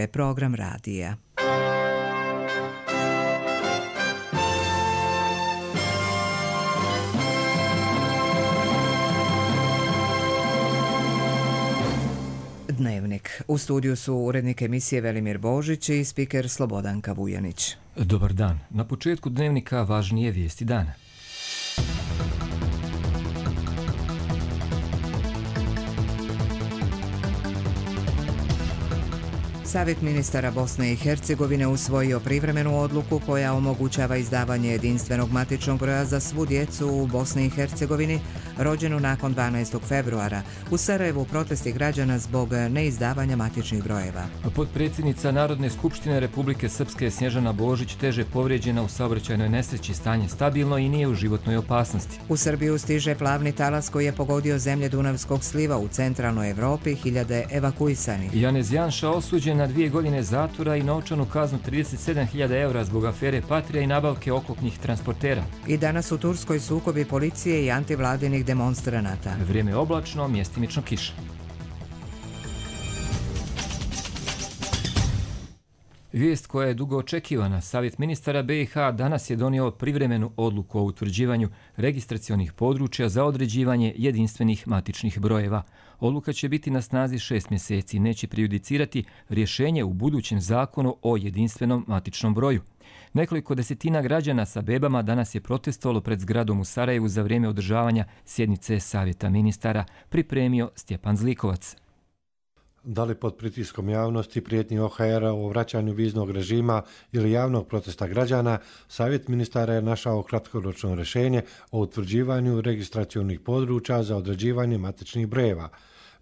Program radija. Dnevnik. U studiju su urednik emisije Velimir Božić i spiker Slobodanka Vujanić. Dobar dan. Na početku dnevnika važnije vijesti dana. Savjet ministara Bosne i Hercegovine usvojio privremenu odluku koja omogućava izdavanje jedinstvenog matičnog broja za svu djecu u Bosni i Hercegovini rođenu nakon 12. februara. U Sarajevu protesti građana zbog neizdavanja matičnih brojeva. Potpredsjednica Narodne skupštine Republike Srpske Snježana Božić teže povrijeđena u saobraćajnoj nesreći, stanje stabilno i nije u životnoj opasnosti. U Srbiju stiže plavni talas koji je pogodio zemlje Dunavskog sliva u centralnoj Evropi, hiljade evakuisani. Janez Janša osuđen na 2 godine zatvora i novčanu kaznu 37.000 eura zbog afere Patrija i nabavke oklopnih transportera. I danas u Turskoj sukobi policije i antivladinih demonstranata. Vrijeme je oblačno, mjestimično kiša. Vijest koja je dugo očekivana. Savjet ministara BiH danas je donio privremenu odluku o utvrđivanju registracionih područja za određivanje jedinstvenih matičnih brojeva. Odluka će biti na snazi 6 mjeseci i neće prejudicirati rješenje u budućem zakonu o jedinstvenom matičnom broju. Nekoliko desetina građana sa bebama danas je protestovalo pred zgradom u Sarajevu za vrijeme održavanja sjednice Savjeta ministara, pripremio Stjepan Zlikovac. Da li pod pritiskom javnosti, prijetnji OHR-a o vraćanju viznog režima ili javnog protesta građana, Savjet ministara je našao kratkoročno rješenje o utvrđivanju registracionih područja za određivanje matičnih brojeva.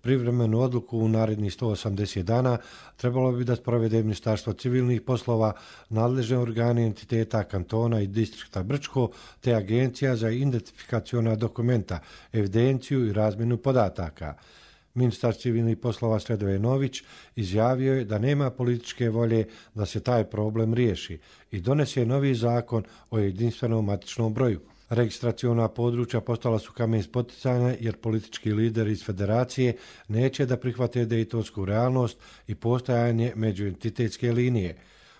Privremenu odluku u narednih 180 dana trebalo bi da sprovede Ministarstvo civilnih poslova, nadležne organe entiteta kantona i distrikta Brčko, te Agencija za identifikaciona dokumenta, evidenciju i razmjenu podataka. Ministar civilnih poslova Sredoje Nović izjavio je da nema političke volje da se taj problem riješi i donese novi zakon o jedinstvenom matičnom broju. Registraciona područja postala su kamen spoticanja jer politički lideri iz federacije neće da prihvate dejtonsku realnost i postojanje međuentitetske linije.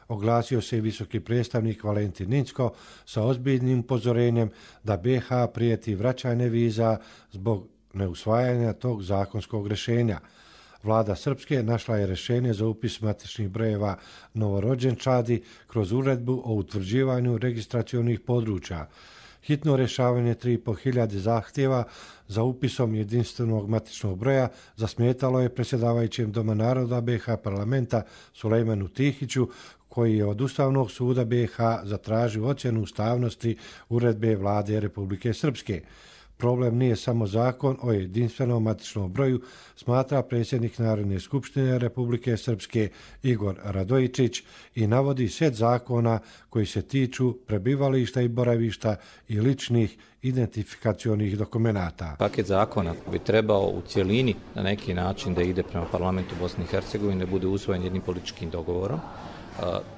Oglasio se i visoki predstavnik Valentin Incko sa ozbiljnim upozorenjem da BiH prijeti vraćanje viza zbog neusvajanja tog zakonskog rješenja. Vlada Srpske našla je rješenje za upis matičnih brojeva novorođenčadi kroz uredbu o utvrđivanju registracionih područja. Hitno rješavanje 3.500 zahtjeva za upisom jedinstvenog matičnog broja zasmetalo je predsjedavajućem Doma naroda BiH parlamenta Sulejmanu Tihiću, koji je od Ustavnog suda BiH zatražio ocjenu ustavnosti uredbe Vlade Republike Srpske. Problem nije samo zakon o jedinstvenom matičnom broju, smatra predsjednik Narodne skupštine Republike Srpske Igor Radojičić i navodi set zakona koji se tiču prebivališta i boravišta i ličnih identifikacionih dokumenata. Paket zakona bi trebao u cjelini na neki način da ide prema parlamentu Bosne i Hercegovine, da bude usvojen jednim političkim dogovorom.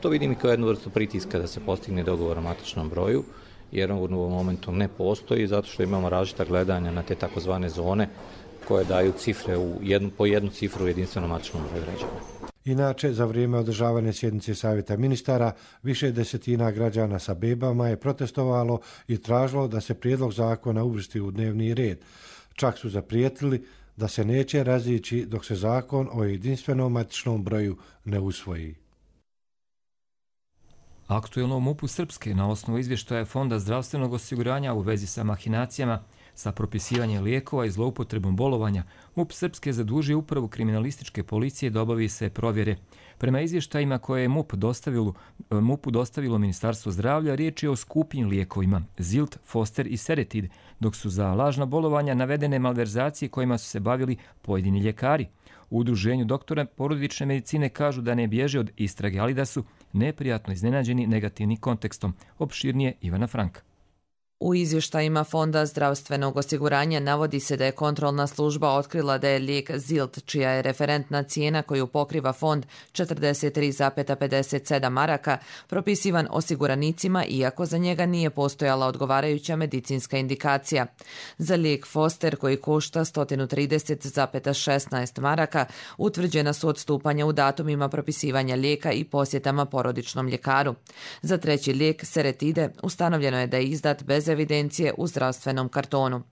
To vidim i kao jednu vrstu pritiska da se postigne dogovor o matičnom broju, jer on u ovom momentu ne postoji zato što imamo različita gledanja na te takozvane zone koje daju cifre po jednu cifru u jedinstvenom matičnom broju građana. Inače, za vrijeme održavanja sjednice Savjeta ministara, više desetina građana sa bebama je protestovalo i tražilo da se prijedlog zakona uvrsti u dnevni red. Čak su zaprijetili da se neće razići dok se zakon o jedinstvenom matičnom broju ne usvoji. Aktuelno u MUP-u Srpske na osnovu izvještaja Fonda zdravstvenog osiguranja u vezi sa mahinacijama sa propisivanjem lijekova i zloupotrebom bolovanja, MUP Srpske zadužio upravu kriminalističke policije da obavi se provjere. Prema izvještajima koje je MUP-u dostavilo Ministarstvo zdravlja, riječ je o skupim lijekovima Zilt, Foster i Seretid, dok su za lažna bolovanja navedene malverzacije kojima su se bavili pojedini ljekari. U udruženju doktora porodične medicine kažu da ne bježe od istrage, ali da su neprijatno iznenađeni negativnim kontekstom. Opširnije Ivana Franka. U izvještajima Fonda zdravstvenog osiguranja navodi se da je kontrolna služba otkrila da je lijek Zilt, čija je referentna cijena koju pokriva fond 43,57 maraka, propisivan osiguranicima iako za njega nije postojala odgovarajuća medicinska indikacija. Za lijek Foster koji košta 130,16 maraka utvrđena su odstupanja u datumima propisivanja lijeka i posjetama porodičnom ljekaru. Za treći lijek Seretide ustanovljeno je da je izdat bez evidencije u zdravstvenom kartonu.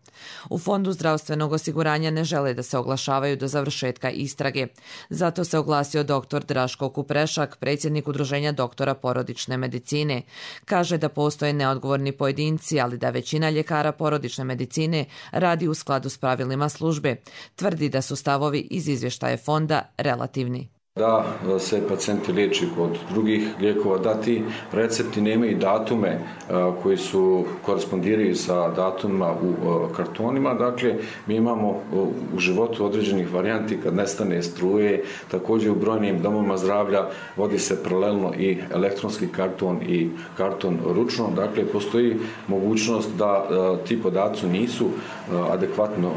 U Fondu zdravstvenog osiguranja ne žele da se oglašavaju do završetka istrage. Zato se oglasio dr. Draško Kuprešak, predsjednik Udruženja doktora porodične medicine. Kaže da postoje neodgovorni pojedinci, ali da većina ljekara porodične medicine radi u skladu s pravilima službe. Tvrdi da su stavovi iz izvještaja fonda relativni. Da se pacijenti liječi kod drugih lijekova, da ti recepti nemaju datume koji su korespondiraju sa datumima u kartonima. Dakle, mi imamo u životu određenih varijanti kad nestane struje, također u brojnim domovima zdravlja vodi se paralelno i elektronski karton i karton ručno. Dakle, postoji mogućnost da ti podaci nisu adekvatno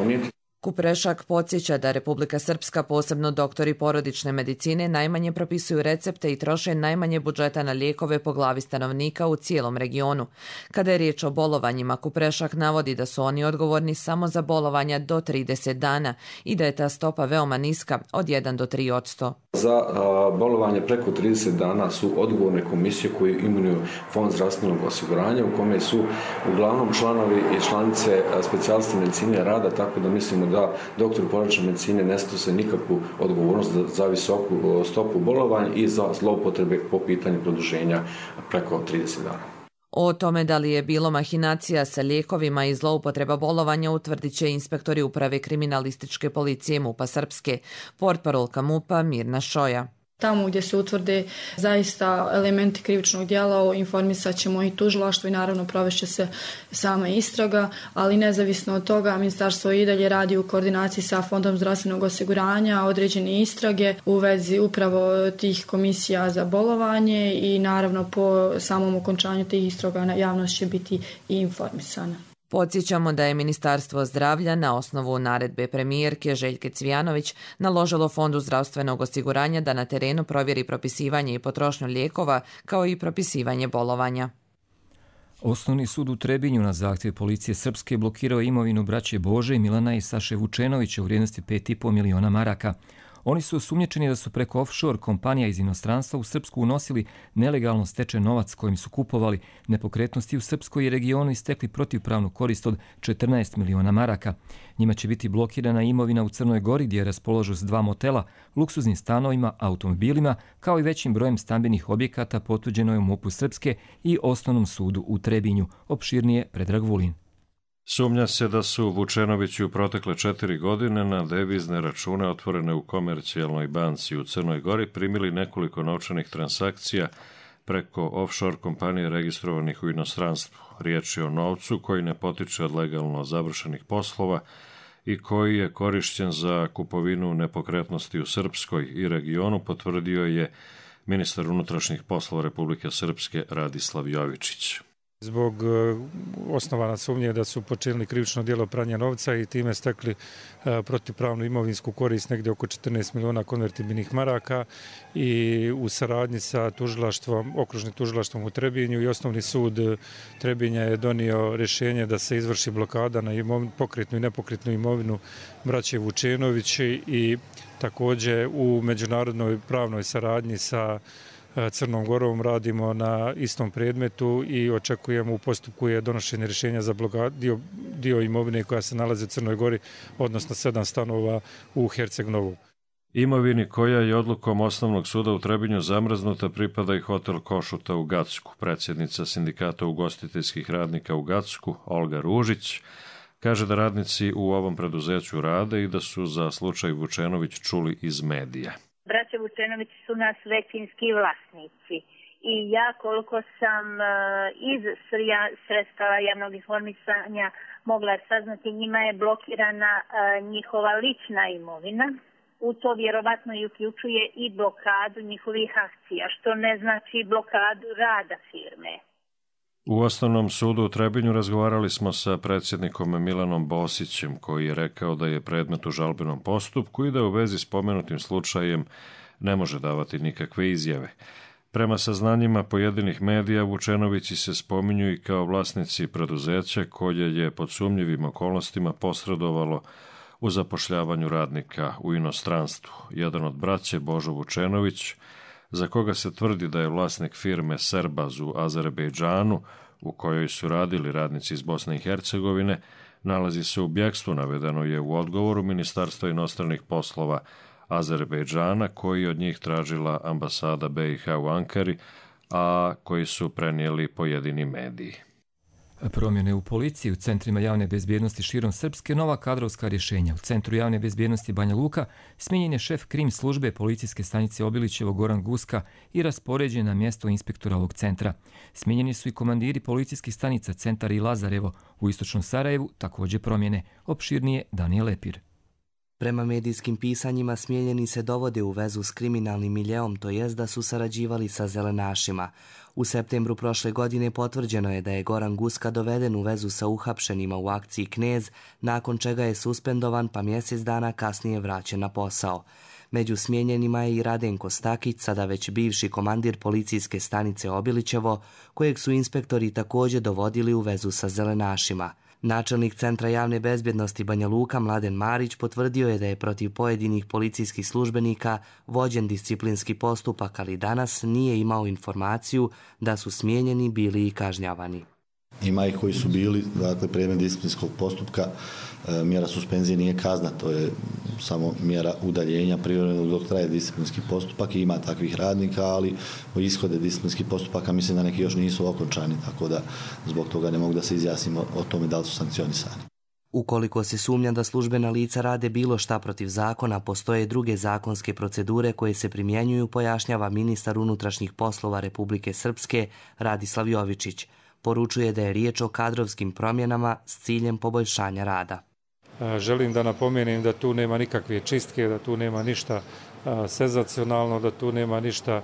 unijeti. Kuprešak podsjeća da Republika Srpska, posebno doktori porodične medicine, najmanje propisuju recepte i troše najmanje budžeta na lijekove po glavi stanovnika u cijelom regionu. Kada je riječ o bolovanjima, Kuprešak navodi da su oni odgovorni samo za bolovanja do 30 dana i da je ta stopa veoma niska, od 1 do 3%. Za bolovanje preko 30 dana su odgovorne komisije koje imenuju Fond zdravstvenog osiguranja, u kome su uglavnom članovi i članice specijaliste medicine rada, tako da mislimo da doktor porodične medicine ne snose nikakvu odgovornost za visoku stopu bolovanja i za zloupotrebe po pitanju produženja preko 30 dana. O tome da li je bilo mahinacija sa lijekovima i zloupotreba bolovanja utvrdit će inspektori uprave kriminalističke policije MUP-a Srpske. Portparolka MUP-a Mirna Šoja. Tamo gdje se utvrde zaista elementi krivičnog djela, informisat ćemo i tužilaštvo i naravno provešće se sama istraga, ali nezavisno od toga ministarstvo i dalje radi u koordinaciji sa Fondom zdravstvenog osiguranja određene istrage u vezi upravo tih komisija za bolovanje i naravno po samom okončanju tih istraga javnost će biti i informisana. Podsjećamo da je Ministarstvo zdravlja na osnovu naredbe premijerke Željke Cvijanović naložilo Fondu zdravstvenog osiguranja da na terenu provjeri propisivanje i potrošnju lijekova kao i propisivanje bolovanja. Osnovni sud u Trebinju na zahtjev policije Srpske blokirao imovinu braće Bože, Milana i Saše Vučenovića u vrijednosti 5,5 miliona maraka. Oni su osumnjičeni da su preko offshore kompanija iz inostranstva u Srpsku unosili nelegalno stečen novac kojim su kupovali nepokretnosti u Srpskoj i regionu i stekli protivpravnu korist od 14 miliona maraka. Njima će biti blokirana imovina u Crnoj Gori gdje raspolažu s 2 motela, luksuznim stanovima, automobilima, kao i većim brojem stambenih objekata, potvrđeno je u MUP-u Srpske i Osnovnom sudu u Trebinju. Opširnije Predrag Vulin. Sumnja se da su Vučenovići u protekle 4 godine na devizne račune otvorene u Komercijalnoj banci u Crnoj Gori primili nekoliko novčanih transakcija preko offshore kompanije registrovanih u inostranstvu. Riječ je o novcu koji ne potiče od legalno završenih poslova i koji je korišćen za kupovinu nepokretnosti u Srpskoj i regionu, potvrdio je ministar unutrašnjih poslova Republike Srpske Radislav Jovičić. Zbog osnovana sumnje da su počinili krivično djelo pranja novca i time stekli protivpravnu imovinsku korist negdje oko 14 miliona konvertibilnih maraka i u saradnji sa tužilaštvom, okružnim tužilaštvom u Trebinju i Osnovni sud Trebinja je donio rješenje da se izvrši blokada na pokretnu i nepokretnu imovinu braće Vučenović i također u međunarodnoj pravnoj saradnji sa Crnom Gorom radimo na istom predmetu i očekujemo u postupku je donošenje rješenja za dio imovine koja se nalazi u Crnoj Gori, odnosno 7 stanova u Herceg-Novu. Imovini koja je odlukom Osnovnog suda u Trebinju zamrznuta pripada i hotel Košuta u Gacku. Predsjednica sindikata ugostiteljskih radnika u Gacku, Olga Ružić, kaže da radnici u ovom preduzeću rade i da su za slučaj Vučenović čuli iz medija. Braća Vučenović su nas većinski vlasnici i ja koliko sam iz sredstava javnog informisanja mogla saznati, njima je blokirana njihova lična imovina. U to vjerovatno i uključuje i blokadu njihovih akcija, što ne znači blokadu rada firme. U Osnovnom sudu u Trebinju razgovarali smo sa predsjednikom Milanom Bosićem, koji je rekao da je predmet u žalbenom postupku i da u vezi s pomenutim slučajem ne može davati nikakve izjave. Prema saznanjima pojedinih medija, Vučenovići se spominju i kao vlasnici preduzeća koje je pod sumnjivim okolnostima posredovalo u zapošljavanju radnika u inostranstvu. Jedan od braće, Božo Vučenović, za koga se tvrdi da je vlasnik firme Serbaz u Azerbejdžanu, u kojoj su radili radnici iz Bosne i Hercegovine, nalazi se u bjegstvu, navedeno je u odgovoru Ministarstva inostranih poslova Azerbejdžana, koji od njih tražila ambasada BiH u Ankari, a koji su prenijeli pojedini mediji. Promjene u policiji, u centrima javne bezbjednosti širom Srpske, nova kadrovska rješenja. U centru javne bezbjednosti Banja Luka smijenjen je šef krim službe policijske stanice Obilićevo Goran Guska i raspoređen na mjesto inspektora ovog centra. Smijenjeni su i komandiri policijskih stanica Centar i Lazarevo. U istočnom Sarajevu također promjene. Opširnije Danijel Lepir. Prema medijskim pisanjima smijenjeni se dovode u vezu s kriminalnim miljeom, to jest da su sarađivali sa zelenašima. U septembru prošle godine potvrđeno je da je Goran Guska doveden u vezu sa uhapšenima u akciji Knez, nakon čega je suspendovan pa mjesec dana kasnije vraćen na posao. Među smijenjenima je i Radenko Stakić, sada već bivši komandir policijske stanice Obilićevo, kojeg su inspektori također dovodili u vezu sa zelenašima. Načelnik Centra javne bezbjednosti Banja Luka Mladen Marić potvrdio je da je protiv pojedinih policijskih službenika vođen disciplinski postupak, ali danas nije imao informaciju da su smijenjeni bili i kažnjavani. Ima ih koji su bili, dakle, predmet disciplinskog postupka. Mjera suspenzije nije kazna, to je samo mjera udaljenja privremenog dok traje disciplinski postupak i ima takvih radnika, ali o ishode disciplinskih postupaka mislim da neki još nisu okončani, tako da zbog toga ne mogu da se izjasnimo o tome da li su sankcionisani. Ukoliko se sumnja da službena lica rade bilo šta protiv zakona, postoje druge zakonske procedure koje se primjenjuju, pojašnjava ministar unutrašnjih poslova Republike Srpske Radislav Jovičić. Poručuje da je riječ o kadrovskim promjenama s ciljem poboljšanja rada. Želim da napomenem da tu nema nikakve čistke, da tu nema ništa senzacionalno, da tu nema ništa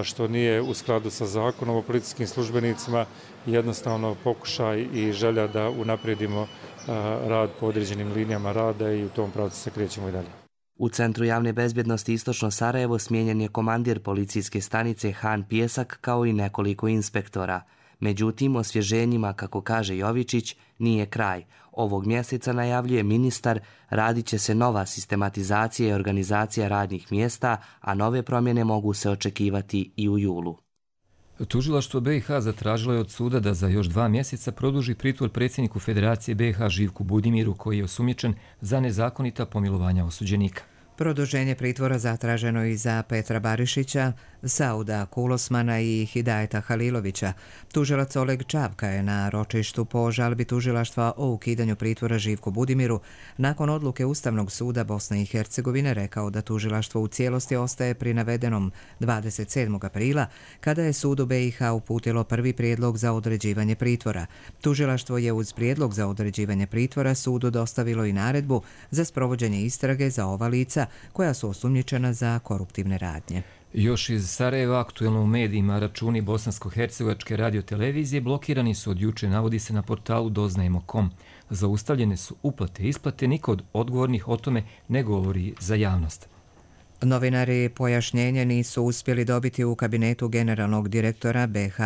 što nije u skladu sa zakonom o policijskim službenicima. Jednostavno pokušaj i želja da unaprijedimo rad po određenim linijama rada i u tom pravcu se krećemo i dalje. U Centru javne bezbjednosti Istočno Sarajevo smijenjen je komandir policijske stanice Han Pjesak kao i nekoliko inspektora. Međutim, osvježenjima, kako kaže Jovičić, nije kraj. Ovog mjeseca, najavljuje ministar, radit će se nova sistematizacija i organizacija radnih mjesta, a nove promjene mogu se očekivati i u julu. Tužilaštvo BiH zatražilo je od suda da za još 2 mjeseca produži pritvor predsjedniku Federacije BiH Živku Budimiru, koji je osumnjičen za nezakonita pomilovanja osuđenika. Produženje pritvora zatraženo i za Petra Barišića, Sauda Kulosmana i Hidajeta Halilovića. Tužilac Oleg Čavka je na ročištu po žalbi tužilaštva o ukidanju pritvora Živku Budimiru nakon odluke Ustavnog suda Bosne i Hercegovine rekao da tužilaštvo u cijelosti ostaje pri navedenom 27. aprila, kada je sudu BiH uputilo prvi prijedlog za određivanje pritvora. Tužilaštvo je uz prijedlog za određivanje pritvora sudu dostavilo i naredbu za sprovođenje istrage za ova lica koja su osumnjičena za koruptivne radnje. Još iz Sarajeva, aktuelno u medijima, računi Bosansko-hercegovačke radiotelevizije blokirani su od juče, navodi se na portalu doznajemo.com. Zaustavljene su uplate i isplate, niko od odgovornih o tome ne govori za javnost. Novinari pojašnjenje nisu uspjeli dobiti u kabinetu generalnog direktora BiH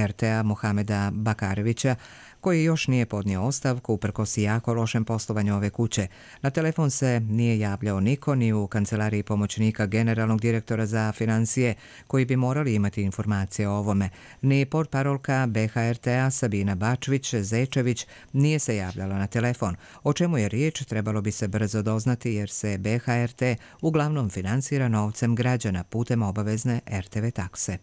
RTA Mohameda Bakarevića, koji još nije podnio ostavku uprkos jako lošem poslovanju ove kuće. Na telefon se nije javljao niko, ni u kancelariji pomoćnika generalnog direktora za financije, koji bi morali imati informacije o ovome. Ni portparolka BiH RTA Sabina Bačvić-Zečević nije se javljala na telefon. O čemu je riječ trebalo bi se brzo doznati, jer se BiH RT uglavnom financira novcem građana putem obavezne RTV takse.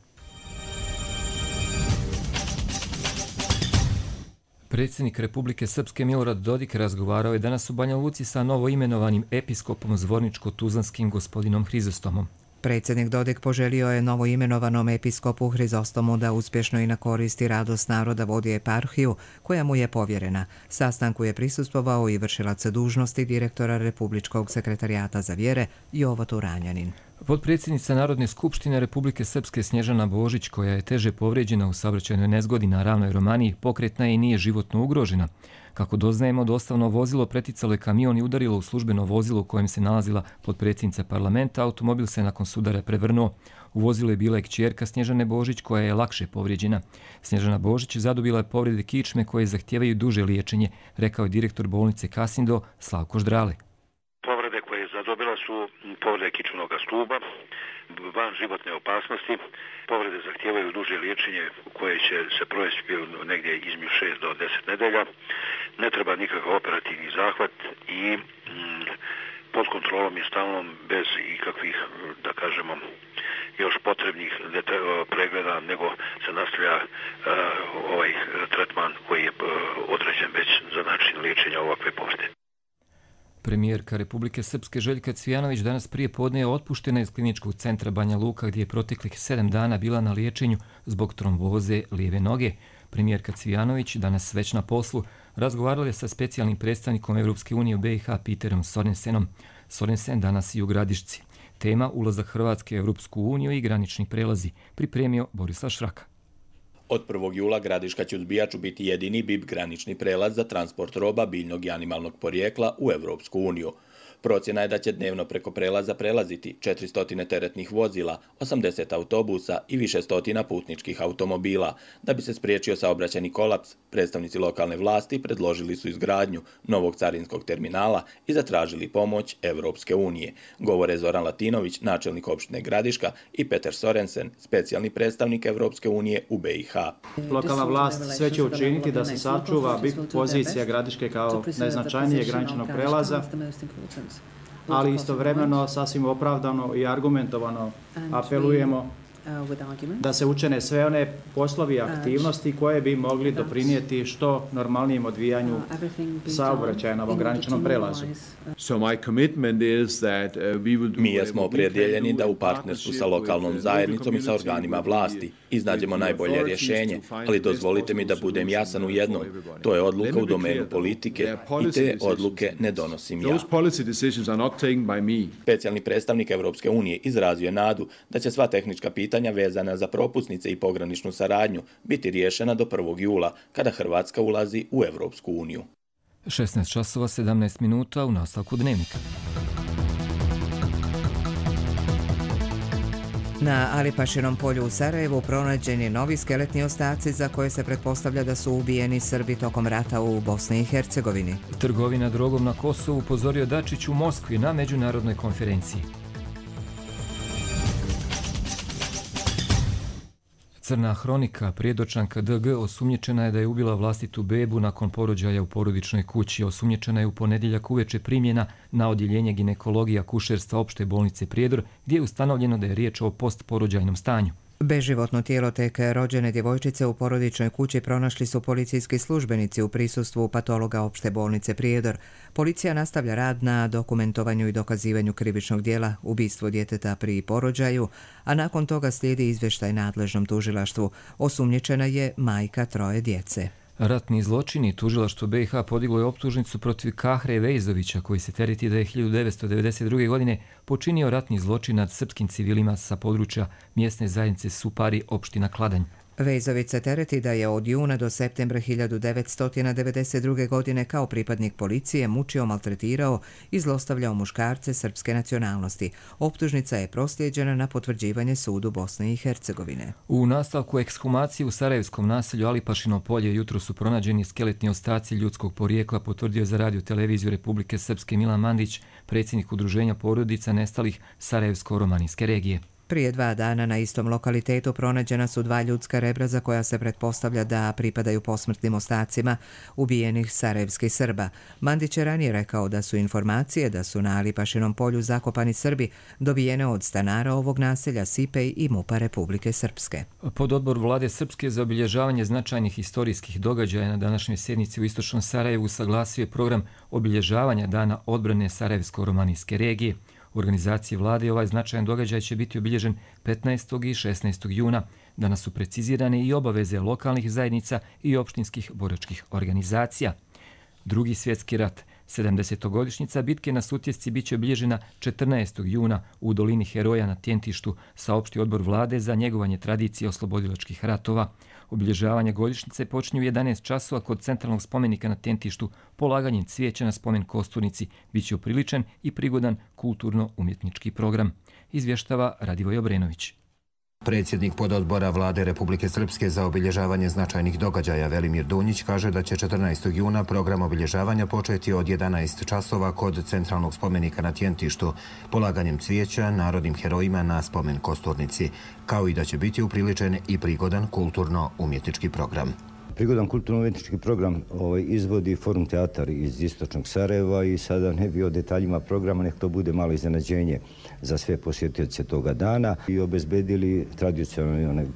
Predsjednik Republike Srpske Milorad Dodik razgovarao je danas u Banja Luci sa novoimenovanim episkopom zvorničko-tuzlanskim gospodinom Hrizostomom. Predsjednik Dodik poželio je novoimenovanom episkopu Hrizostomu da uspješno i na korist i radost naroda vodi eparhiju koja mu je povjerena. Sastanku je prisustvovao i vršilac dužnosti direktora Republičkog sekretarijata za vjere Jovo Turanjanin. Potpredsjednica Narodne skupštine Republike Srpske Snježana Božić, koja je teže povrijeđena u saobraćajnoj nezgodi na Ravnoj Romaniji, pokretna je i nije životno ugrožena. Kako doznajemo, dostavno vozilo preticalo je kamion i udarilo u službeno vozilo u kojem se nalazila potpredsjednica parlamenta. Automobil se nakon sudara prevrnuo. U vozilu je bila i kćerka Snježane Božić, koja je lakše povrijeđena. Snježana Božić zadobila je povrede kičme koje zahtijevaju duže liječenje, rekao je direktor bolnice Kasindo Slavko Ždrale. Povrede koje zadobila su povrede kičmenog stuba, van životne opasnosti. Povrede zahtijevaju duže liječenje koje će se provesti negdje između 6 do 10 nedelja. Ne treba nikakav operativni zahvat i pod kontrolom je stalnom bez ikakvih, da kažemo, još potrebnih pregleda, nego se nastavlja ovaj tretman koji je određen već za način liječenja ovakve povrede. Premijerka Republike Srpske Željka Cvijanović danas prije podne je otpuštena iz kliničkog centra Banja Luka gdje je proteklih 7 dana bila na liječenju zbog tromboze lijeve noge. Premijerka Cvijanović, danas već na poslu, razgovarala je sa specijalnim predstavnikom Evropske unije u BiH Peterom Sorensenom. Sorensen danas i u Gradišci. Tema ulazak Hrvatske u Evropsku uniju i granični prelazi, pripremio Borislav Šraka. Od 1. jula Gradiška će uz Bijaču biti jedini BIP granični prelaz za transport roba biljnog i animalnog porijekla u Evropsku uniju. Procjena je da će dnevno preko prelaza prelaziti 400 teretnih vozila, 80 autobusa i više stotina putničkih automobila. Da bi se spriječio saobraćajni kolaps, predstavnici lokalne vlasti predložili su izgradnju novog carinskog terminala i zatražili pomoć Evropske unije. Govore Zoran Latinović, načelnik opštine Gradiška, i Peter Sorensen, specijalni predstavnik Evropske unije u BiH. Lokalna vlast sve će učiniti da se sačuva pozicija Gradiške kao najznačajnijeg graničnog prelaza, ali istovremeno sasvim opravdano i argumentovano apelujemo da se učine sve one poslovi i aktivnosti koje bi mogli doprinijeti što normalnijem odvijanju saobraćaja na ovom graničnom prelazu. Mi smo opredjeljeni da u partnerstvu sa lokalnom zajednicom i sa organima vlasti iznađemo najbolje rješenje, ali dozvolite mi da budem jasan u jednom. To je odluka u domenu politike i te odluke ne donosim ja. Specijalni predstavnik Evropske unije izrazio je nadu da će sva tehnička pitanja vezana za propusnice i pograničnu saradnju biti riješena do 1. jula, kada Hrvatska ulazi u Evropsku uniju. 16 časova 17 minuta u nastavku Dnevnika. Na Alipašinom polju u Sarajevu pronađeni novi skeletni ostaci za koje se pretpostavlja da su ubijeni Srbi tokom rata u Bosni i Hercegovini. Trgovina drogom na Kosovu, upozorio Dačić u Moskvi na međunarodnoj konferenciji. Crna hronika, prijedočanka DG, osumnjičena je da je ubila vlastitu bebu nakon porođaja u porodičnoj kući. Osumnjičena je u ponedjeljak uveče primljena na odjeljenje ginekologija kušerstva opšte bolnice Prijedor, gdje je ustanovljeno da je riječ o postporođajnom stanju. Beživotno tijelo tek rođene djevojčice u porodičnoj kući pronašli su policijski službenici u prisustvu patologa opšte bolnice Prijedor. Policija nastavlja rad na dokumentovanju i dokazivanju krivičnog djela ubistvo djeteta pri porođaju, a nakon toga slijedi izvještaj nadležnom tužilaštvu. Osumnjičena je majka 3 djece. Ratni zločini. Tužilaštvo BiH podiglo je optužnicu protiv Kahre Vejzovića, koji se tereti da je 1992. godine počinio ratni zločin nad srpskim civilima sa područja mjesne zajednice Supari, opština Kladanj. Vejzović se tereti da je od juna do septembra 1992. godine kao pripadnik policije mučio, maltretirao i zlostavljao muškarce srpske nacionalnosti. Optužnica je proslijeđena na potvrđivanje sudu Bosne i Hercegovine. U nastavku ekshumacije u sarajevskom naselju Alipašino polje jutro su pronađeni skeletni ostaci ljudskog porijekla, potvrdio za radio televiziju Republike Srpske Milan Mandić, predsjednik udruženja porodica nestalih Sarajevsko-romanijske regije. Prije 2 dana na istom lokalitetu pronađena su 2 ljudska rebra za koja se pretpostavlja da pripadaju posmrtnim ostacima ubijenih sarajevskih Srba. Mandić je ranije rekao da su informacije da su na Alipašinom polju zakopani Srbi dobijene od stanara ovog naselja Sipej i MUP-a Republike Srpske. Pododbor Vlade Srpske za obilježavanje značajnih historijskih događaja na današnjoj sjednici u istočnom Sarajevu saglasio je program obilježavanja Dana odbrane Sarajevsko-romanijske regije. U organizaciji vlade ovaj značajan događaj će biti obilježen 15. i 16. juna. Danas su precizirane i obaveze lokalnih zajednica i opštinskih boračkih organizacija. Drugi svjetski rat, 70-godišnjica bitke na Sutjesci biće obilježena 14. juna u dolini Heroja na Tjentištu, saopšti odbor vlade za njegovanje tradicije oslobodilačkih ratova. Obilježavanje godišnjice počinje u 11 časova kod centralnog spomenika na Tjentištu. Polaganjem cvijeća na spomen Kosturnici biće upriličen i prigodan kulturno-umjetnički program. Izvještava Radivoj Obrenović. Predsjednik pododbora vlade Republike Srpske za obilježavanje značajnih događaja Velimir Dunjić kaže da će 14. juna program obilježavanja početi od 11 časova kod centralnog spomenika na Tjentištu, polaganjem cvijeća narodnim herojima na spomen Kosturnici, kao i da će biti upriličen i prigodan kulturno-umjetnički program. Prigodan kulturno-umjetnički program izvodi Forum teatar iz istočnog Sarajeva i sada ne bi o detaljima programa, nek to bude malo iznenađenje za sve posjetioce toga dana i obezbedili tradicionalni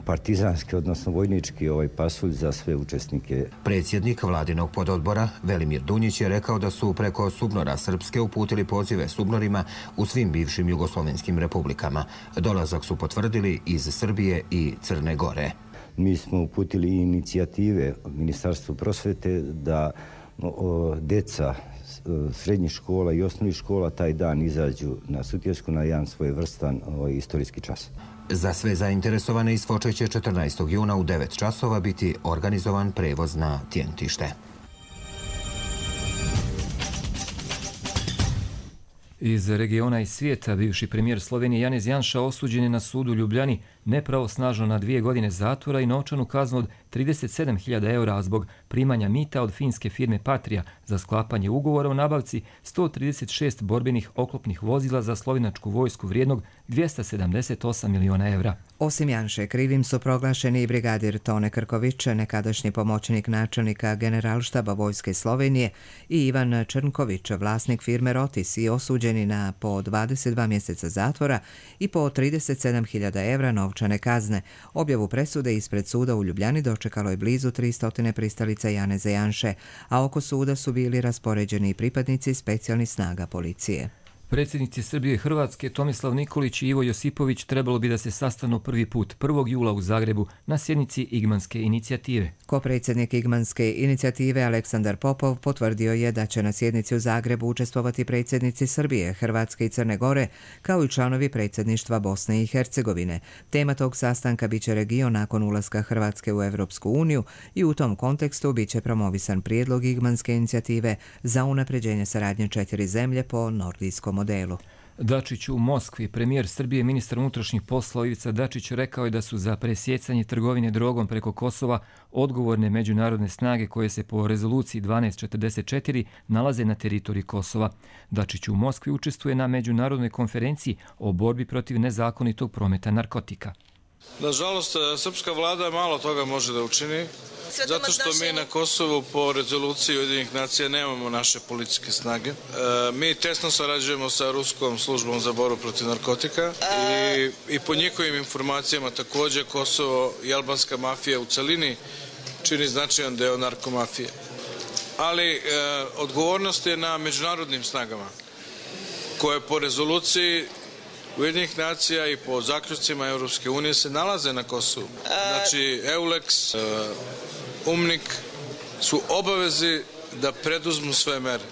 partizanski, odnosno vojnički pasulj za sve učesnike. Predsjednik vladinog pododbora Velimir Dunjić je rekao da su preko SUBNOR-a Srpske uputili pozive SUBNOR-ima u svim bivšim jugoslovenskim republikama. Dolazak su potvrdili iz Srbije i Crne Gore. Mi smo uputili inicijative Ministarstvu prosvete da deca srednjih škola i osnovnih škola taj dan izađu na Sutjesku na jedan svojevrstan istorijski čas. Za sve zainteresovane iz Foče će 14. juna u 9 časova biti organizovan prevoz na Tjentište. Iz regiona i svijeta bivši premijer Slovenije Janez Janša osuđen je na sudu u Ljubljani nepravosnažno na 2 godine zatvora i novčanu kaznu od 37.000 eura zbog primanja mita od finske firme Patria za sklapanje ugovora o nabavci 136 borbenih oklopnih vozila za slovenačku vojsku vrijednog 278 miliona evra. Osim Janše, krivim su proglašeni i brigadir Tone Krković, nekadašnji pomoćnik načelnika Generalštaba Vojske Slovenije, i Ivan Črnković, vlasnik firme Rotis, i osuđeni na po 22 mjeseca zatvora i po 37.000 evra novčane kazne. Objavu presude ispred suda u Ljubljani dočekalo je blizu 300 pristalica Janeza Janše, a oko suda su bili raspoređeni i pripadnici specijalnih snaga policije. Predsjednici Srbije i Hrvatske Tomislav Nikolić i Ivo Josipović trebalo bi da se sastanu prvi put 1. jula u Zagrebu na sjednici Igmanske inicijative. Kopredsjednik Igmanske inicijative Aleksandar Popov potvrdio je da će na sjednici u Zagrebu učestvovati predsjednici Srbije, Hrvatske i Crne Gore, kao i članovi predsjedništva Bosne i Hercegovine. Tema tog sastanka biće region nakon ulaska Hrvatske u Evropsku uniju i u tom kontekstu biće promovisan prijedlog Igmanske inicijative za unapređenje saradnje 4 zemlje po nordijskom modelu. Dačić u Moskvi. Premijer Srbije, ministar unutrašnjih poslova Ivica Dačić rekao je da su za presjecanje trgovine drogom preko Kosova odgovorne međunarodne snage koje se po rezoluciji 1244 nalaze na teritoriji Kosova. Dačić u Moskvi učestvuje na međunarodnoj konferenciji o borbi protiv nezakonitog prometa narkotika. Nažalost, srpska vlada malo toga može da učini, zato što mi na Kosovu po rezoluciji Ujedinjenih nacija nemamo naše policijske snage. Mi tesno sarađujemo sa Ruskom službom za borbu protiv narkotika i po njihovim informacijama također Kosovo i albanska mafija u celini čini značajan deo narkomafije. Ali odgovornost je na međunarodnim snagama koje po rezoluciji Ujedinjenih nacija i po zaključcima Europske unije se nalaze na Kosovu. Znači, EULEX, UMNIK su obavezi da preduzmu sve mere.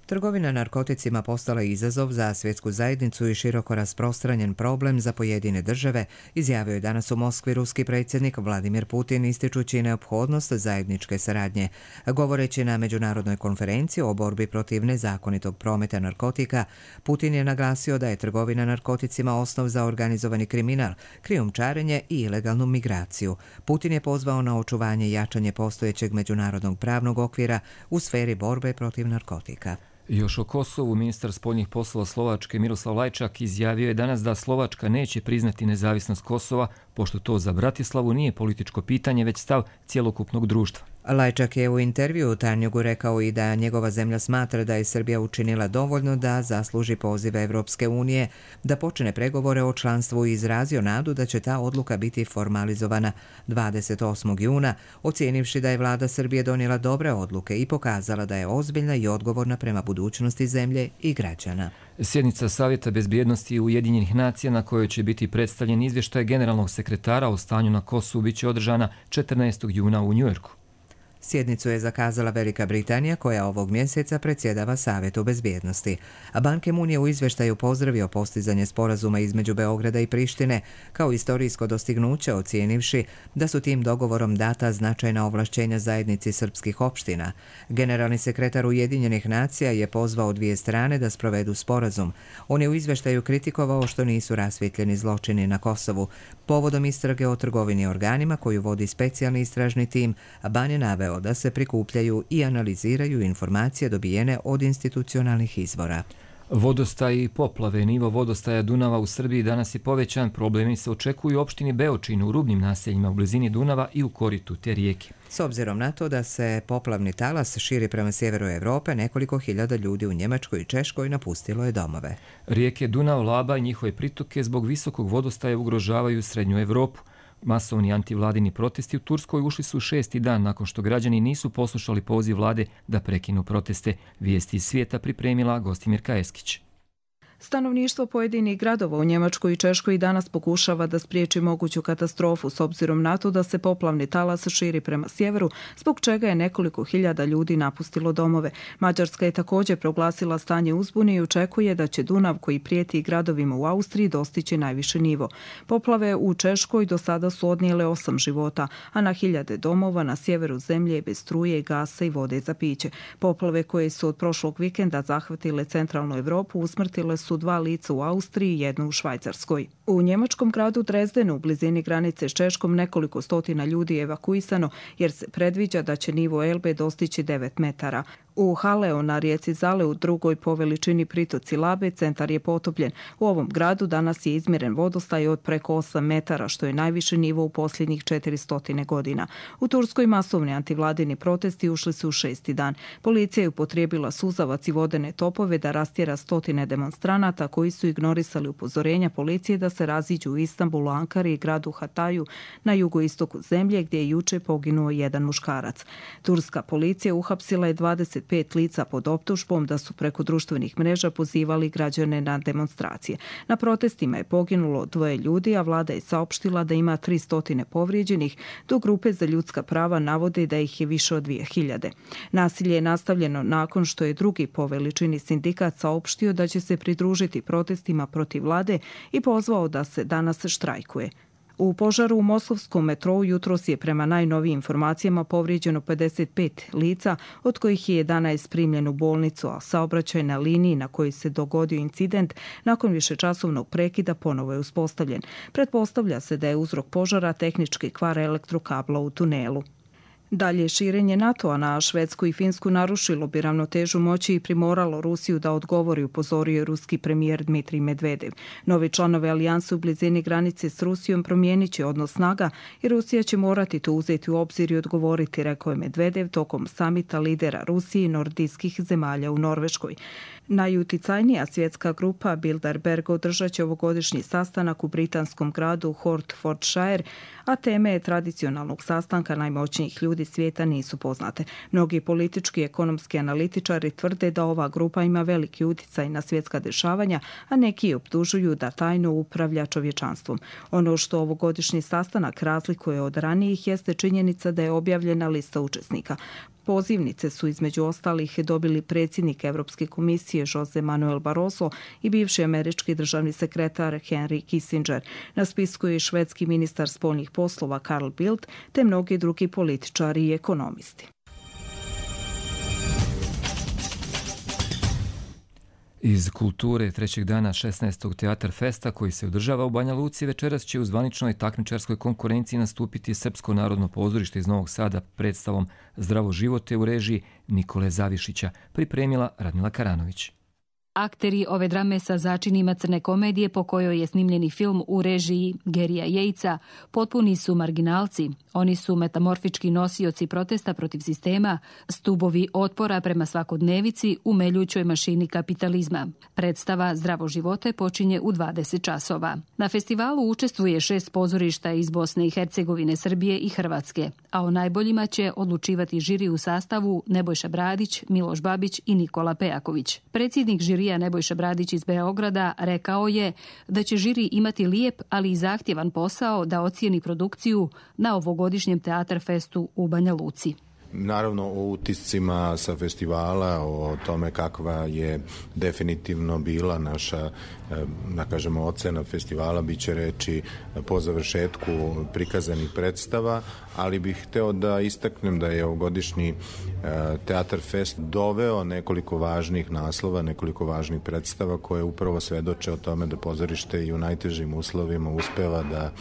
Trgovina narkoticima postala je izazov za svjetsku zajednicu i široko rasprostranjen problem za pojedine države, izjavio je danas u Moskvi ruski predsjednik Vladimir Putin, ističući neophodnost zajedničke saradnje. Govoreći na međunarodnoj konferenciji o borbi protiv nezakonitog prometa narkotika, Putin je naglasio da je trgovina narkoticima osnov za organizovani kriminal, krijumčarenje i ilegalnu migraciju. Putin je pozvao na očuvanje i jačanje postojećeg međunarodnog pravnog okvira u sferi borbe protiv narkotika. Još o Kosovu, ministar spoljnih poslova Slovačke Miroslav Lajčak izjavio je danas da Slovačka neće priznati nezavisnost Kosova pošto to za Bratislavu nije političko pitanje, već stav cjelokupnog društva. Lajčak je u intervju u Tanjugu rekao i da njegova zemlja smatra da je Srbija učinila dovoljno da zasluži poziv Evropske unije, da počne pregovore o članstvu i izrazio nadu da će ta odluka biti formalizovana 28. juna, ocijenivši da je vlada Srbije donijela dobre odluke i pokazala da je ozbiljna i odgovorna prema budućnosti zemlje i građana. Sjednica Savjeta bezbjednosti Ujedinjenih nacija na kojoj će biti predstavljen izvještaj generalnog sekretara o stanju na Kosovu biće održana 14. juna u Njujorku. Sjednicu je zakazala Velika Britanija koja ovog mjeseca predsjedava Savjetu bezbjednosti. A Ban Ki-moon je u izvještaju pozdravio postizanje sporazuma između Beograda i Prištine kao istorijsko dostignuće, ocijenivši da su tim dogovorom data značajna ovlašćenja zajednici srpskih opština. Generalni sekretar Ujedinjenih nacija je pozvao dvije strane da sprovedu sporazum. On je u izvještaju kritikovao što nisu rasvjetljeni zločini na Kosovu. Povodom istrage o trgovini organima koju vodi specijalni istražni tim, Ban je naveo da se prikupljaju i analiziraju informacije dobijene od institucionalnih izvora. Vodostaj i poplave. Nivo vodostaja Dunava u Srbiji danas je povećan. Problemi se očekuju u opštini Beočin, u rubnim naseljima u blizini Dunava i u koritu te rijeke. S obzirom na to da se poplavni talas širi prema sjeveru Europe, nekoliko hiljada ljudi u Njemačkoj i Češkoj napustilo je domove. Rijeke Dunav, Laba i njihove pritoke zbog visokog vodostaja ugrožavaju srednju Europu. Masovni antivladini protesti u Turskoj ušli su 6. dan nakon što građani nisu poslušali poziv vlade da prekinu proteste. Vijesti iz svijeta pripremila Gostimirka Eskić. Stanovništvo pojedinih gradova u Njemačkoj i Češkoj danas pokušava da spriječi moguću katastrofu s obzirom na to da se poplavni talas širi prema sjeveru, zbog čega je nekoliko hiljada ljudi napustilo domove. Mađarska je također proglasila stanje uzbune i očekuje da će Dunav, koji prijeti gradovima u Austriji, dostići najviši nivo. Poplave u Češkoj do sada su odnijele 8 života, a na hiljade domova na sjeveru zemlje je bez struje, gasa i vode za piće. Poplave koje su od prošlog vikenda zahvatile centralnu Europu usmrtile su 2 lica u Austriji i 1 u Švajcarskoj. U njemačkom gradu Drezdenu, u blizini granice s Češkom, nekoliko stotina ljudi je evakuisano jer se predviđa da će nivo Elbe dostići 9 metara. U Haleo na rijeci Zale, u drugoj po veličini pritoci Labe, centar je potopljen. U ovom gradu danas je izmjeren vodostaj od preko 8 metara, što je najviši nivo u posljednjih 400 godina. U Turskoj masovni antivladini protesti ušli su u 6. dan. Policija je upotrijebila suzavac i vodene topove da rastjera stotine demonstranata koji su ignorisali upozorenja policije da se raziđu u Istanbulu, Ankari i gradu Hataju na jugoistoku zemlje, gdje je juče poginuo jedan muškarac. Turska policija uhapsila je 25 lica pod optužbom da su preko društvenih mreža pozivali građane na demonstracije. Na protestima je poginulo 2 ljudi, a vlada je saopštila da ima 300 povrijeđenih, dok grupe za ljudska prava navode da ih je više od 2000. Nasilje je nastavljeno nakon što je drugi po veličini sindikat saopštio da će se pridružiti protestima protiv vlade i pozvao da se danas štrajkuje. U požaru u moskovskom metrou jutros je prema najnovijim informacijama povrijeđeno 55 lica, od kojih je 11 primljeno u bolnicu, a saobraćaj na liniji na kojoj se dogodio incident nakon višečasovnog prekida ponovo je uspostavljen. Pretpostavlja se da je uzrok požara tehnički kvar elektrokabla u tunelu. Dalje širenje NATO-a na Švedsku i Finsku narušilo bi ravnotežu moći i primoralo Rusiju da odgovori, upozorio je ruski premijer Dmitrij Medvedev. Novi članovi alijanse u blizini granice s Rusijom promijenit će odnos snaga i Rusija će morati to uzeti u obzir i odgovoriti, rekao je Medvedev tokom samita lidera Rusije i nordijskih zemalja u Norveškoj. Najuticajnija svjetska grupa Bilderberg održat će ovogodišnji sastanak u britanskom gradu Hertfordshire, a teme tradicionalnog sastanka najmoćnijih ljudi svijeta nisu poznate. Mnogi politički i ekonomski analitičari tvrde da ova grupa ima veliki utjecaj na svjetska dešavanja, a neki optužuju da tajno upravlja čovječanstvom. Ono što ovogodišnji sastanak razlikuje od ranijih jeste činjenica da je objavljena lista učesnika. Pozivnice su između ostalih dobili predsjednik Europske komisije Jose Manuel Barroso i bivši američki državni sekretar Henry Kissinger. Na spisku je švedski ministar spoljnih poslova Carl Bildt te mnogi drugi političari i ekonomisti. Iz kulture trećeg dana 16. Teatar Festa koji se održava u Banja Luci večeras će u zvaničnoj takmičarskoj konkurenciji nastupiti Srpsko narodno pozorište iz Novog Sada predstavom Zdravo živote u režiji Nikole Zavišića, pripremila Radmila Karanović. Akteri ove drame sa začinima crne komedije po kojoj je snimljeni film u režiji Gerija Jejca potpuni su marginalci. Oni su metamorfički nosioci protesta protiv sistema, stubovi otpora prema svakodnevici u meljućoj mašini kapitalizma. Predstava Zdravo živote počinje u 20 časova. Na festivalu učestvuje 6 pozorišta iz Bosne i Hercegovine, Srbije i Hrvatske, a o najboljima će odlučivati žiri u sastavu Nebojša Bradić, Miloš Babić i Nikola Pejaković. Predsjednik žirija Nebojša Bradić iz Beograda rekao je da će žiri imati lijep, ali i zahtjevan posao da ocijeni produkciju na ovogodišnjem Teatar festu u Banja Luci. Naravno o utiscima sa festivala, o tome kakva je definitivno bila naša, da kažemo, ocena festivala, bit će reći po završetku prikazanih predstava, ali bih hteo da istaknem da je ovogodišnji Teatar fest doveo nekoliko važnih naslova, nekoliko važnih predstava koje upravo svedoče o tome da pozorište i u najtežim uslovima uspeva da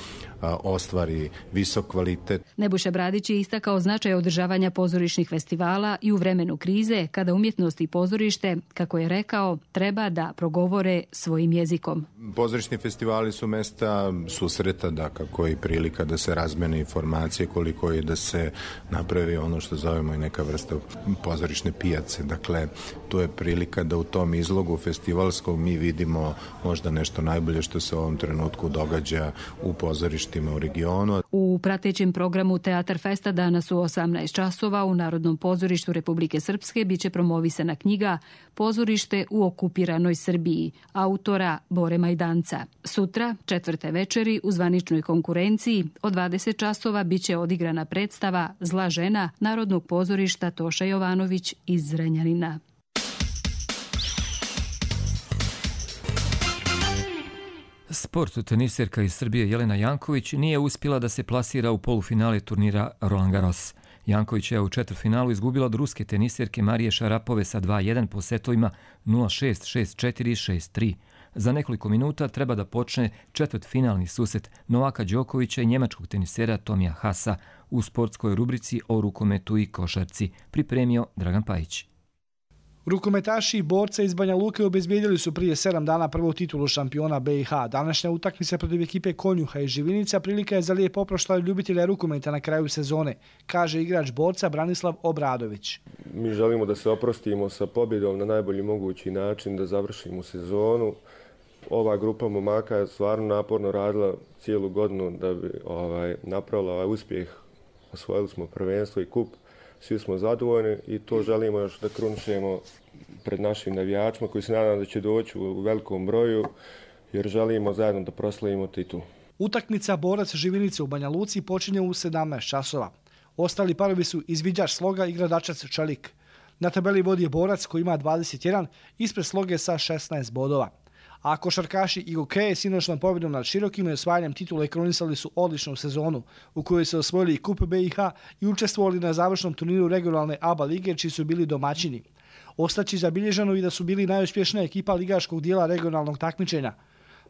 ostvari visok kvalitet. Nebojša Bradić je istakao značaj održavanja pozorišnih festivala i u vremenu krize, kada umjetnost i pozorište, kako je rekao, treba da progovore svojim jezikom. Pozorišni festivali su mesta susreta, dakako i prilika da se razmene informacije, koliko i da se napravi ono što zovemo i neka vrsta pozorišne pijace. Dakle, tu je prilika da u tom izlogu festivalskom mi vidimo možda nešto najbolje što se u ovom trenutku događa u pozorištima u regionu. U pratećem programu Teatar festa danas u 18 časova u Narodnom pozorištu Republike Srpske biće promovisana knjiga Pozorište u okupiranoj Srbiji, autora Bore Majdanca. Sutra, 4. večeri, u zvaničnoj konkurenciji od 20 časova biće odigrana predstava Zla žena Narodnog pozorišta Toša Jovanović iz Zrenjanina. Sport teniserka iz Srbije Jelena Janković nije uspjela da se plasira u polufinale turnira Roland Garros. Janković je u četvrtfinalu izgubila od ruske teniserke Marije Šarapove sa 2-1 po setovima 0-6, 6-4 i 6-3. Za nekoliko minuta treba da počne četvrtfinalni susret Novaka Đokovića i njemačkog tenisera Tomija Hasa u sportskoj rubrici o rukometu i košarci, pripremio Dragan Pajić. Rukometaši i borca iz Banja Luke obezbijedili su prije 7 dana prvu titulu šampiona BiH. Današnja utakmica protiv ekipe Konjuha i Živinica prilika je za lijep oproštaj ljubitelja rukometa na kraju sezone, kaže igrač borca Branislav Obradović. Mi želimo da se oprostimo sa pobjedom na najbolji mogući način, da završimo sezonu. Ova grupa momaka je stvarno naporno radila cijelu godinu da bi napravila ovaj uspjeh. Osvojili smo prvenstvo i kup. Svi smo zadovoljni i to želimo još da kruničemo pred našim navijačima koji se nadam da će doći u velikom broju jer želimo zajedno da proslavimo titulu. Utakmica borac Živinice u Banja Luci počinje u 17 časova. Ostali parovi su izviđač Sloga i gradačac Čelik. Na tabeli vodi je borac koji ima 21, ispred Sloge sa 16 bodova. A košarkaši IGOK sinoćnom pobjedom nad Širokim i osvajanjem titule kronisali su odličnu sezonu u kojoj su osvojili i Kup BiH i učestvovali na završnom turniru regionalne ABA lige čiji su bili domaćini. Ostaći zabilježeno i da su bili najuspješnija ekipa ligaškog dijela regionalnog takmičenja.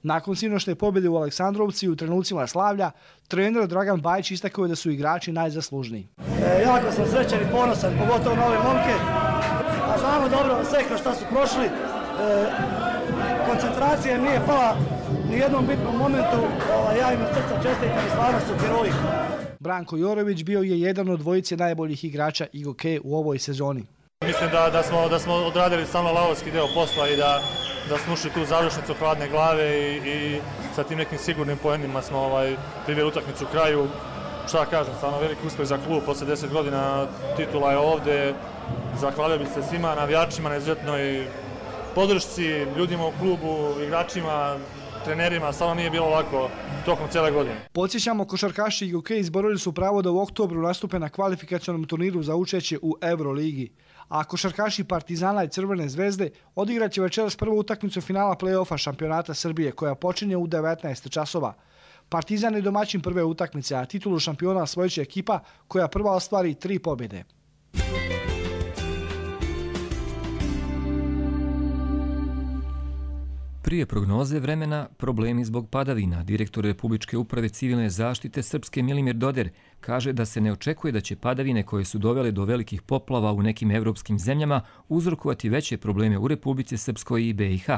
Nakon sinoćne pobjede u Aleksandrovci u trenucima slavlja, trener Dragan Bajić istakao je da su igrači najzaslužniji. Jako sam srećan i ponosan, pogotovo na ove momke. A znamo dobro sve kroz šta su prošli. Koncentracija nije pala ni jednom bitnom momentu. Ja im od srca čestitam i stvarno su heroji. Branko Jorović bio je jedan od dvojice najboljih igrača IGOK u ovoj sezoni. Mislim da smo odradili samo lavovski deo posla i da smo ušli tu završnicu hladne glave i sa tim nekim sigurnim poenima smo priveli utakmicu u kraju. Šta kažem, stvarno veliki uspjeh za klub, posle 10 godina titula je ovde. Zahvalio bih se svima navijačima na izuzetnoj podršci, ljudima u klubu, igračima, trenerima, stvarno nije bilo lako tokom cijele godine. Podsjećamo, košarkaši IGOK izborili su pravo da u oktobru nastupe na kvalifikacionom turniru za učešće u Euroligi. A košarkaši Partizana i Crvene zvezde odigraće večeras prvu utakmicu finala play-offa šampionata Srbije koja počinje u 19 časova. Partizan je domaćin prve utakmice, a titulu šampiona osvojit će ekipa koja prva ostvari 3 pobjede. prije prognoze vremena, problemi zbog padavina. Direktor Republičke uprave civilne zaštite Srpske Milimir Doder kaže da se ne očekuje da će padavine koje su dovele do velikih poplava u nekim evropskim zemljama uzrokovati veće probleme u Republici Srpskoj i BiH.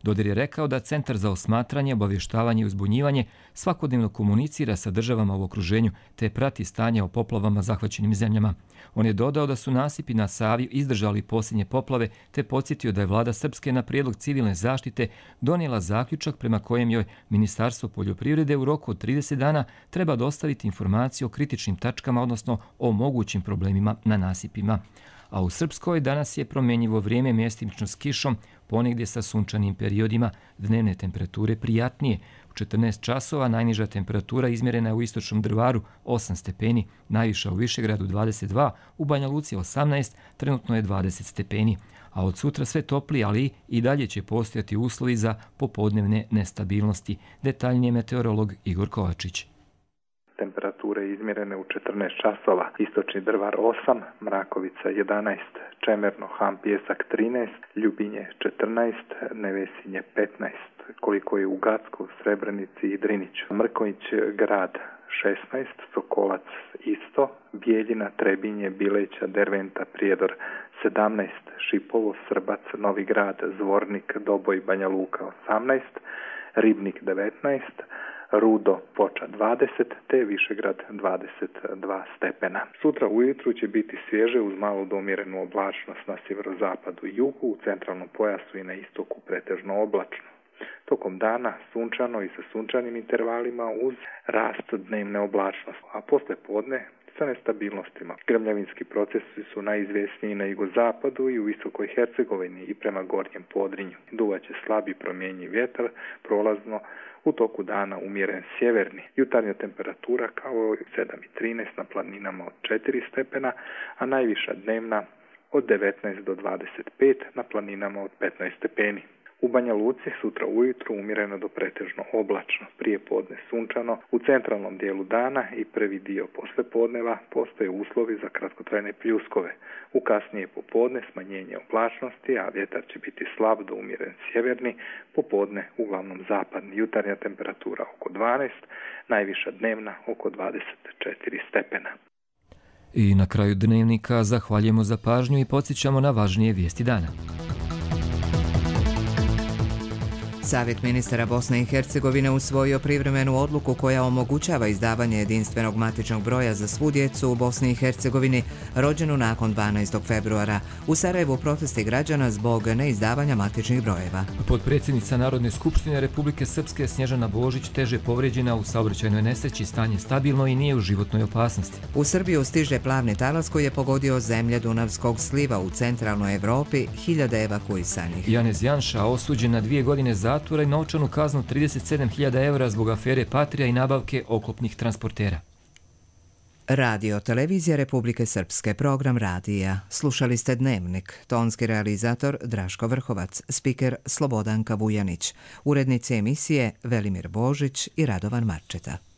Doder je rekao da Centar za osmatranje, obavještavanje i uzbunjivanje svakodnevno komunicira sa državama u okruženju te prati stanje o poplavama zahvaćenim zemljama. On je dodao da su nasipi na Savi izdržali posljednje poplave te podsjetio da je vlada Srpske na prijedlog civilne zaštite donijela zaključak prema kojem joj Ministarstvo poljoprivrede u roku od 30 dana treba dostaviti informaciju o kritičnim tačkama, odnosno o mogućim problemima na nasipima. A u Srpskoj danas je promjenjivo vrijeme, mjestimično s kišom, ponegdje sa sunčanim periodima, dnevne temperature prijatnije. U 14 časova najniža temperatura izmjerena je u istočnom Drvaru 8 stepeni, najviša u Višegradu 22, u Banja Luci 18, trenutno je 20 stepeni. A od sutra sve toplije, ali i dalje će postojati uslovi za popodnevne nestabilnosti. Detaljnije meteorolog Igor Kovačić. Temperature izmjerene u 14 časova, istočni Drvar 8, Mrakovica 11, Čemerno, Han, Pjesak 13, Ljubinje 14, Nevesinje 15, koliko je u Gacku, Srebrenici i Driniću. Mrkonjić grad 16, Sokolac isto, Bijeljina, Trebinje, Bileća, Derventa, Prijedor 17, Šipovo, Srbac, Novi Grad, Zvornik, Doboj, Banja Luka 18, Ribnik 19, Rudo, Poča 20, te Višegrad 22 stepena. Sutra ujutru će biti svježe uz malo do umjerenu oblačnost na sjeverozapadu i jugu, u centralnom pojasu i na istoku pretežno oblačno. Tokom dana sunčano i sa sunčanim intervalima uz rast dnevne oblačnosti, a posle podne sa nestabilnostima. Grmljavinski procesi su najizvjesniji na jugozapadu i u Visokoj Hercegovini i prema gornjem Podrinju. Duvaće slabi promjenjiv vjetar, prolazno u toku dana umjeren sjeverni. Jutarnja temperatura kao 7,13 na planinama od 4 stepena, a najviša dnevna od 19 do 25 na planinama od 15 stepeni. U Banja Luci sutra ujutru umjereno do pretežno oblačno, prije podne sunčano, u centralnom dijelu dana i prvi dio poslijepodneva postoje uslovi za kratkotrajne pljuskove. U kasnije popodne smanjenje oblačnosti, a vjetar će biti slab do umjeren sjeverni, popodne uglavnom zapadni. Jutarnja temperatura oko 12, najviša dnevna oko 24 stepena. I na kraju dnevnika zahvaljujemo za pažnju i podsjećamo na važnije vijesti dana. Savjet ministara Bosne i Hercegovine usvojio privremenu odluku koja omogućava izdavanje jedinstvenog matičnog broja za svu djecu u Bosni i Hercegovini rođenu nakon 12. februara. U Sarajevu protesti građana zbog neizdavanja matičnih brojeva. Potpredsjednica Narodne skupštine Republike Srpske Snježana Božić teže povrijeđena u saobraćajnoj nesreći, stanje stabilno i nije u životnoj opasnosti. U Srbiju stiže plavni talas koji je pogodio zemlje Dunavskog sliva u centralnoj Evropi, hiljade evakuisanih. Janez Janša osuđen na 2 godine zatvora i novčanu kaznu 37.000 eura zbog afere Patrija i nabavke oklopnih transportera. Radio Televizija Republike Srpske, program radija. Slušali ste Dnevnik. Tonski realizator Draško Vrhovac, spiker Slobodanka Vujanić, urednici emisije Velimir Božić i Radovan Marčeta.